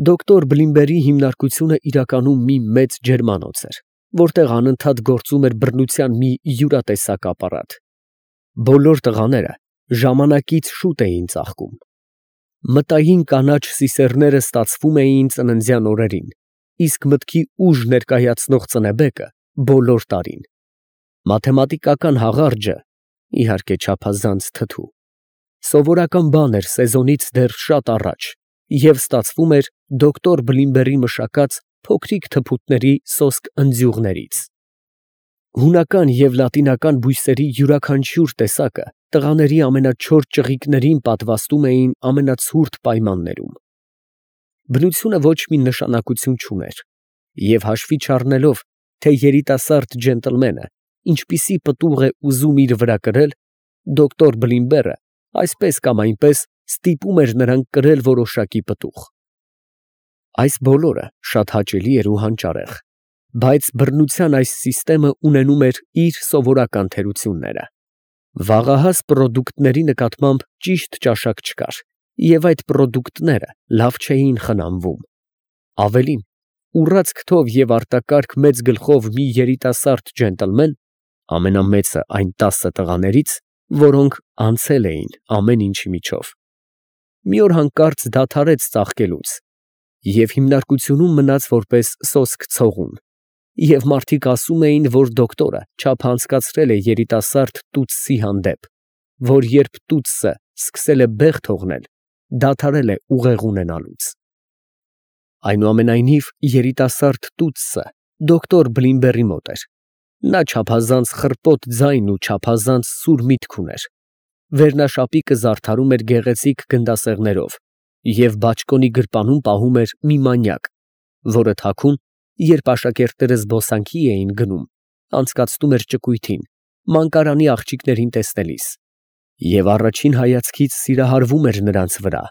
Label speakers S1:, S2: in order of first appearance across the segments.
S1: Դոկտոր Բլիմբերի հիմնարկությունը իրականում մի մեծ ջերմանոց էր, որտեղ անընդհատ գործում էր բռնության մի յուրատեսակ ապարատ։ Բոլոր տղաները ժամանակից շուտ էին ծաղկում։ Մտային կանաչ սիսեռները ստացվում էին ծննդյան օրերին, իսկ մտքի ուժ ներկայացնող ծնեբեկը բոլոր տարին։ Մաթեմատիկական հաղարջը, իհարկե չափազանց թթու, սովորական բան էր սեզոնից դեռ շատ առաջ և ստացվում էր դոկտոր Բլիմբերի մշակած փոքրիկ թփուտների սոսկ ընձյուղներից։ Հունական և լատինական բույսերի յուրաքանչյուր տեսակը տղաների ամենաչոր ճղիկներին պատվաստում էին ամենացուրտ պայմաններում։ Բնությունը ոչ մի նշանակություն չուներ, և հաշվի չառնելով, թե երիտասարդ ջենտլմենը ինչպիսի պտուղ է ուզում իր վրա կրել, դոկտոր Բլիմբերը այսպես կամ այնպես ստիպում էր նրան կրել որոշակի պտուղ։ Այս բոլորը շատ հաճելի էր ու հանճարեղ, բայց բռնության այս սիստեմը ունենում էր իր սովորական թերությունները։ Վաղահաս պրոդուկտների նկատմամբ ճիշտ ճաշակ չկար, և այդ պրոդուկտները լավ չէին խնամվում։ Ավելին, ուռած քթով և արտակարգ մեծ գլխով մի երիտասարդ ջենտլմեն, ամենամեծը այն 10 տղաներից, որոնք անցել էին ամեն ինչի միջով, մի օր հանկարծ դադարեց ծաղկելուց և հիմնարկությունում մնաց որպես սոսկ ցողուն, և մարդիկ ասում էին, որ դոկտորը չափ անցկացրել է երիտասարդ տուտսի հանդեպ, որ երբ տուտսը սկսել է բեղ թողնել, դադարել է ուղեղ ունենալուց։ Այնուամենայնիվ, երիտասարդ տուտսը դոկտոր Բլիմբերի մոտ էր։ Նա չափազանց խռպոտ ձայն ու չափազանց սուր միտք ուներ։ Վերնաշապիկը զարդարում էր գեղեցիկ գնդասեղներով և բաճկոնի գրպանում պահում էր մի մանյակ, որը թաքուն, երբ աշակերտները զբոսանքի էին գնում, անցկացնում էր ճկույթին, մանկարանի աղջիկներին տեսնելիս, և առաջին հայացքից սիրահարվում էր նրանց վրա,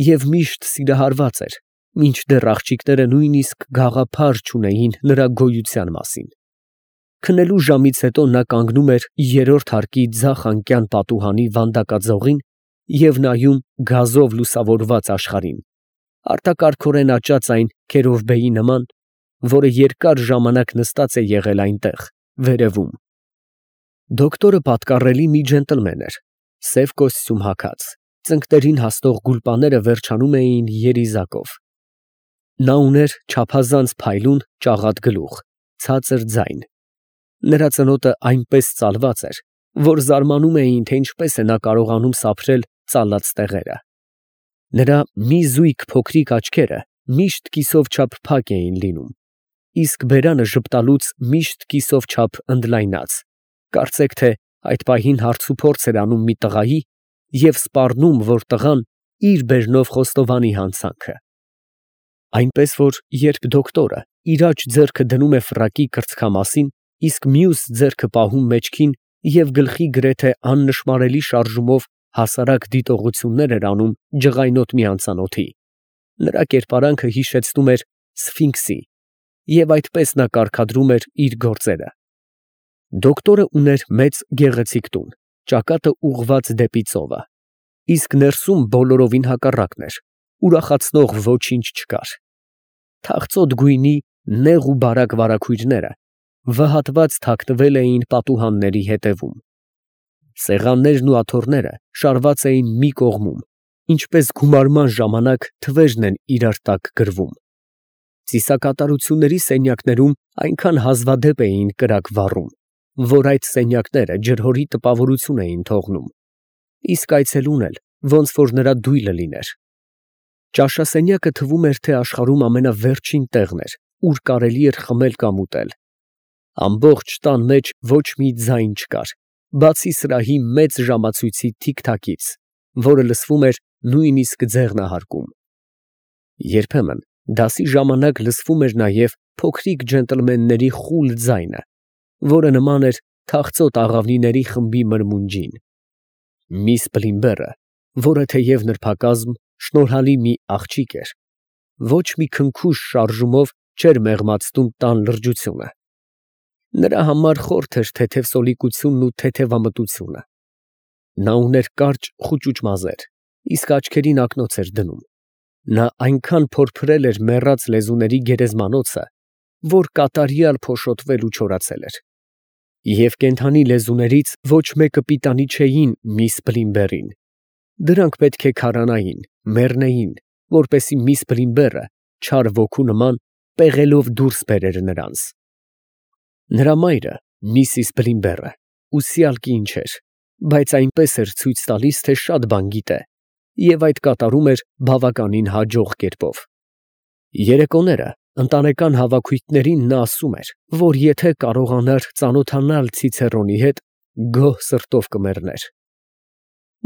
S1: և միշտ սիրահարված էր, մինչդեռ աղջիկները նույնիսկ գաղափար չունեին նրա գոյության մասին։ Քնելու ժամից հետո նա կանգնում էր երրորդ հարկի ձախ անկյան պատուհանի վանդակաձողին և նայում գազով լուսավորված աշխարհին, արտակարգորեն աճած այն քերովբեի նման, որը երկար ժամանակ նստած է եղել այնտեղ, վերևում։ Դոկտորը պատկառելի մի ջենտլմեն էր, սև կոստյում հագած, ծնկներին հասնող գուլպաները վերջանում էին երիզակով։ Նա ուներ չափազանց փայլուն, ճաղատ գլուխ, ցածր ձայն։ Նրա ծնոտը այնպես ծալված էր, որ զարմանում էին, թե ինչպես է նա կարողանում սափրել ծալած տեղերը։ Նրա մի զույգ փոքրիկ աչքերը միշտ կիսով չափ փակ էին լինում, իսկ բերանը ժպտալուց միշտ կիսով չափ ընդլայնած, կարծեք թե այդ պահին հարցուփորձ էր անում մի տղայի և սպառնում, որ տղան իր բերնով խոստովանի հանցանքը։ Այնպես որ, երբ դոկտորը իր աջ ձեռքը դնում է ֆրակի կրծքամասին, իսկ մյուս ձեռքը պահում մեջքին և գլխի գրեթե աննշմարելի շարժումով հասարակ դիտողություններ էր անում ջղայնոտ մի անծանոթի, նրա կերպարանքը հիշեցնում էր Սֆինքսի, և այդպես նա կարգադրում էր իր գործերը։ Դոկտորը ուներ մեծ գեղեցիկ տուն, ճակատը ուղղված դեպի ծովը, իսկ ներսում բոլորովին հակառակն էր, ուրախացնող ոչինչ չկար։ Թախծոտ գույնի նեղ ու բարակ վարագույրները վհատված թաքնվել էին պատուհանների ետևում։ Սեղաններն ու աթոռները շարված էին մի կողմում, ինչպես գումարման ժամանակ թվերն են իրար տակ գրվում։ Ծիսակատարությունների սենյակներում այնքան հազվադեպ էին կրակ վառում, որ այդ սենյակները ջրհորի տպավորություն էին թողնում, իսկ այցելուն էլ ոնց որ նրա դույլը լիներ։ Ճաշասենյակը թվում էր, թե աշխարհում ամենավերջին տեղն էր, ուր կարելի էր խմել կամ ուտել։ Ամբողջ տան մեջ ոչ մի ձայն չկար, բացի սրահի մեծ ժամացույցի թիք֊թաքից, որը լսվում էր նույնիսկ ձեղնահարկում։ Երբեմն դասի ժամանակ լսվում էր նաև փոքրիկ ջենտլմենների խուլ ձայնը, որը նման էր թախծոտ աղավնիների խմբի մրմունջին։ Միս Բլիմբերը, որը թեև նրբակազմ, շնորհալի մի աղջիկ էր, ոչ մի քնքուշ շարժումով չէր մեղմացնում տան լրջությունը։ Նրա համար խորթ էր թեթև սոլիկությունն ու թեթևամտությունը։ Նա ուներ կարճ խուճուճ մազեր, իսկ աչքերին ակնոց էր դնում։ Նա այնքան փորփրել էր մեռած լեզուների գերեզմանոցը, որ կատարյալ փոշոտվել ու չորացել էր։ Եվ կենդանի լեզուներից ոչ մեկը պիտանի չէին միս Բլիմբերին. դրանք պետք է քարանային, մեռնեին, որպեսզի միս Բլիմբերը չար ոգու նման պեղելով դուրս բերեր նրանց։ Նրա մայրը, Միսիս Բլիմբերը, ուսյալ կին չէր, բայց այնպես էր ցույց տալիս, թե շատ բան գիտե, և այդ կատարում էր բավականին հաջող կերպով։ Երեկոները ընտանեկան հավաքույթներին նա ասում էր, որ եթե կարողանար ծանոթանալ Ցիցեռոնի հետ, գոհ սրտով կմեռներ։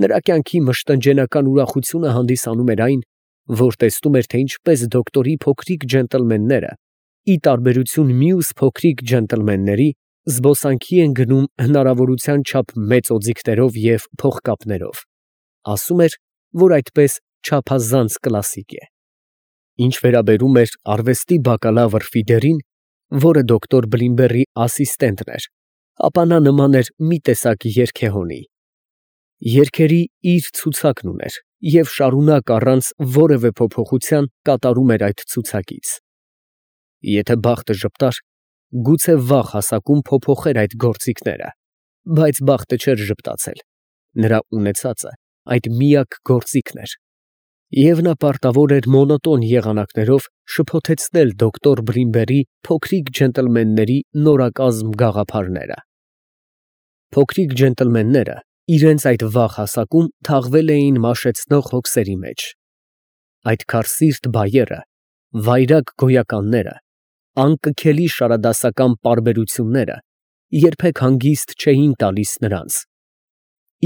S1: Նրա կյանքի մշտնջենական ուրախությունը հանդիսանում էր այն, որ տեսնում էր, թե ինչպես դոկտորի փոքրիկ ջենտլմենները, ի տարբերություն մյուս փոքրիկ ջենտլմենների, զբոսանքի են գնում հնարավորության չափ մեծ օձիքներով և փողկապներով։ Ասում էր, որ այդպես չափազանց կլասիկ է։ Ինչ վերաբերում էր արվեստի բակալավր Ֆիդերին, որը դոկտոր Բլիմբերի ասիստենտն էր, ապա նա նման էր մի տեսակ երգեհոնի։ Երգերի իր ցուցակն ուներ և շարունակ առանց որևէ փոփոխության կատարում էր այդ ցուցակից։ Եթե բախտը ժպտար, գուցե վաղ հասակում փոփոխեր այդ գործիքները, բայց բախտը չէր ժպտացել, նրա ունեցածը այդ միակ գործիքն էր, և նա պարտավոր էր մոնոտոն եղանակներով շփոթեցնել դոկտոր Բլիմբերի փոքրիկ ջենտլմենների նորակազմ գաղափարները։ Փոքրիկ ջենտլմենները իրենց այդ վաղ հասակում թաղվել էին մաշեցնող հոգսերի մեջ։ Այդ քարսիրտ բայերը, վայրագ գոյականները, անկքելի շարադասական պարբերությունները երբեք հանգիստ չէին տալիս նրանց,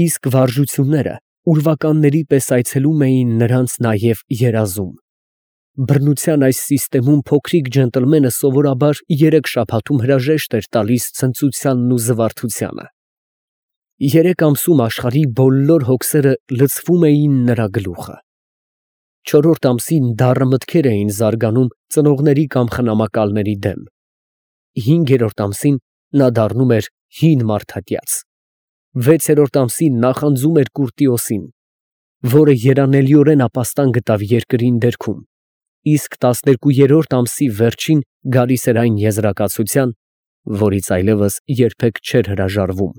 S1: իսկ վարժությունները ուրվականների պես այցելում էին նրանց նաև երազում։ Բռնության այս սիստեմում փոքրիկ ջենտլմենը սովորաբար 3 շաբաթում հրաժեշտ էր տալիս ցնծությանն ու զվարթությանը։ 3 ամսում աշխարհի բոլոր հոգսերը լցվում էին նրա գլուխը։ 4-րդ ամսին դառը մտքեր էին զարգանում ծնողների կամ խնամակալների դեմ։ 5-րդ ամսին նա դառնում էր հին մարդատյաց։ 6-րդ ամսին նախանձում էր Կուրտիոսին, որը երանելիորեն ապաստան գտավ երկրին դերքում, իսկ 12-րդ ամսի վերջին գալիս էր այն եզրակացության, որից այլևս երբեք չէր հրաժարվում,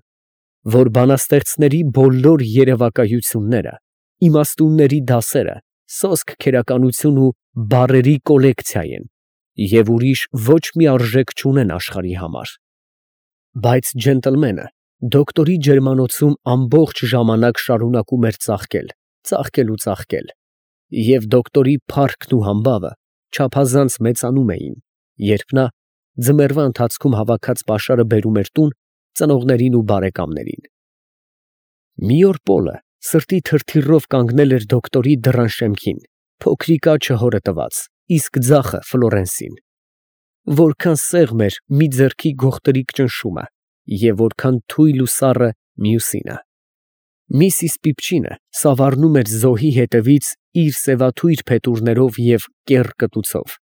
S1: որ բանաստեղծների բոլոր երևակայությունները, իմաստունների դասերը սոսկ քերականություն ու բառերի կոլեկցիա են և ուրիշ ոչ մի արժեք չունեն աշխարհի համար։ Բայց ջենտլմենը դոկտորի ջերմանոցում ամբողջ ժամանակ շարունակում էր ծաղկել, ծաղկել ու ծաղկել, և դոկտորի փառքն ու համբավը չափազանց մեծանում էին, երբ նա ձմեռվա ընթացքում հավաքած պաշարը բերում էր տուն ծնողներին ու բարեկամներին։ Մի օր Պոլը սրտի թրթիռով կանգնել էր դոկտորի դռան շեմքին, փոքրիկ աջը հորը տված, իսկ ձախը Ֆլորենսին։ Որքան սեղմ էր մի ձեռքի գողտրիկ ճնշումը և որքան թույլ ու սառը մյուսինը։ Միսիս Պիպչինը սավառնում էր զոհի հետևից իր սևաթույր փետուրներով և կեռ կտուցով։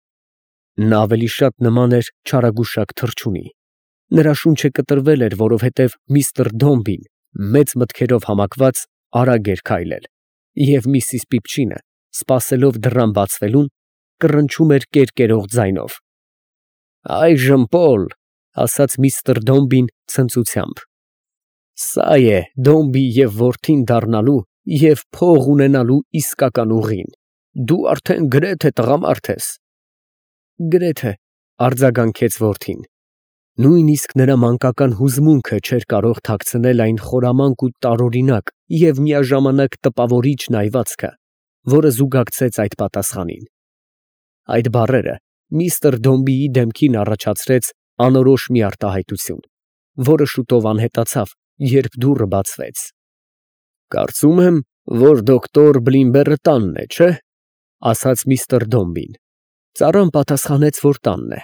S1: Նա ավելի շատ նման էր չարագուշակ թռչունի։ Նրա շունչը կտրվել էր, որովհետև միստր Դոմբին, մեծ մտքերով համակված, արագ էր քայլել, և Միսիս Պիպչինը, սպասելով դռան բացվելուն, կռնչում էր կերկերող ձայնով։ «Այժմ, Պոլ», ասաց միստր Դոմբին ցնծությամբ, «սա է Դոմբի և որդին դառնալու և փող ունենալու իսկական ուղին։ Դու արդեն գրեթե տղամարդ ես»։ Գրեթե, արձագանքեց որդին։ Նույնիսկ նրա մանկական հուզմունքը չէր կարող թաքցնել այն խորամանկ ու տարօրինակ և միաժամանակ տպավորիչ նայվածքը, որը զուգակցեց այդ պատասխանին։ Այդ բառերը միստր Դոմբիի դեմքին առաջացրեց անորոշ մի արտահայտություն, որը շուտով անհետացավ, երբ դուռը բացվեց։ «Կարծում եմ, որ դոկտոր Բլիմբերը տանն է, չէ՞, ասաց միստր Դոմբին։ Ծառան պատասխանեց, որ տանն է,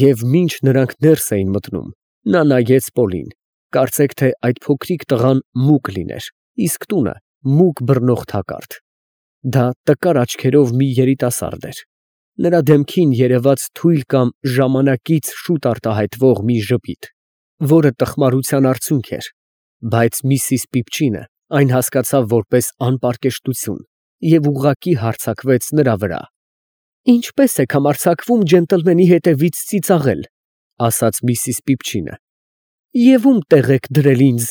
S1: և մինչ նրանք ներս էին մտնում, նա նայեց Պոլին, կարծեք թե այդ փոքրիկ տղան մուկ լիներ, իսկ տունը մուկ բռնող թակարդ։ Դա տկար աչքերով մի երիտասարդ էր։ Նրա դեմքին երևաց թույլ կամ ժամանակից շուտ արտահայտվող մի ժպիտ, որը տխմարության արդյունք էր, բայց Միսիս Պիպչինը այն հասկացավ որպես անպարկեշտություն և ուղղակի հարձակվեց նրա վրա։ «Ինչպե՞ս եք համարձակվում ջենտլմենի հետևից ծիծաղել», ասաց միսիս Պիպչինը, «և ում տեղ եք դրել ինձ»։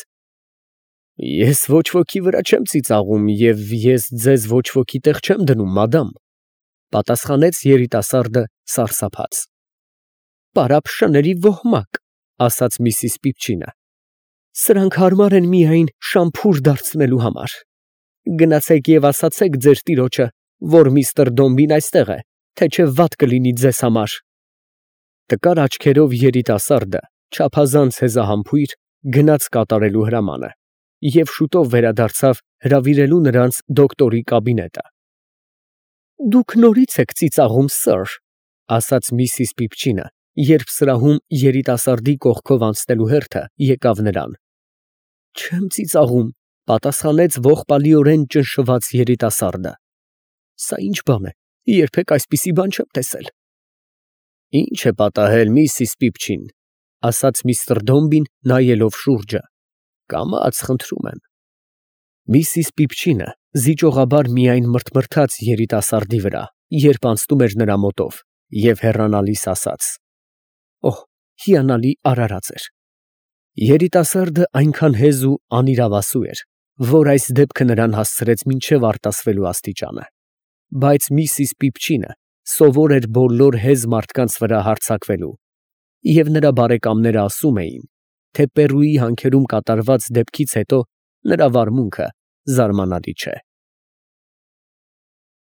S1: «Ես ոչ ոքի վրա չեմ ծիծաղում և ես ձեզ ոչ ոքի տեղ չեմ դնում, մադամ», պատասխանեց երիտասարդը սարսափած։ «Պարապ շների ոհմակ», ասաց միսիս Պիպչինը, «սրանք հարմար են միայն շամփուր դարձնելու համար։ Գնացեք և ասացեք ձեր տիրոջը, որ միստր Դոմբին այստեղ է, թե չէ վատ կլինի ձեզ համար»։ Տկար աչքերով երիտասարդը, չափազանց հեզահամբույր, գնաց կատարելու հրամանը և շուտով վերադարձավ հրավիրելու նրանց դոկտորի կաբինետը։ «Դուք նորից եք ծիծաղում, սըր», ասաց միսիս Պիպչինը, երբ սրահում երիտասարդի կողքով անցնելու հերթը եկավ նրան։ «Չեմ ծիծաղում», պատասխանեց ողբալիորեն ճնշված երիտասարդը։ «Սա ի՞նչ բան է, երբեք այսպիսի բան չեմ տեսել»։ «Ի՞նչ է պատահել, միսիս Պիպչին», ասաց միստր Դոմբին, նայելով շուրջը։ «Կամաց, խնդրում եմ»։ Միսիս Պիպչինը զիջողաբար միայն մրթմրթաց երիտասարդի վրա, երբ անցնում էր նրա մոտով, և հեռանալիս ասաց. «Օհ, հիանալի արարած էր»։ Երիտասարդը այնքան հեզ ու անիրավասու էր, որ այս դեպքը նրան հասցրեց մինչև արտասվելու աստիճանը։ Բայց միսիս Պիպչինը սովոր էր բոլոր հեզ մարդկանց վրա հարձակվելու, և նրա բարեկամները ասում էին, թե Պերուի հանքերում կատարված դեպքից հետո նրա վարմունքը զարմանալի չէ։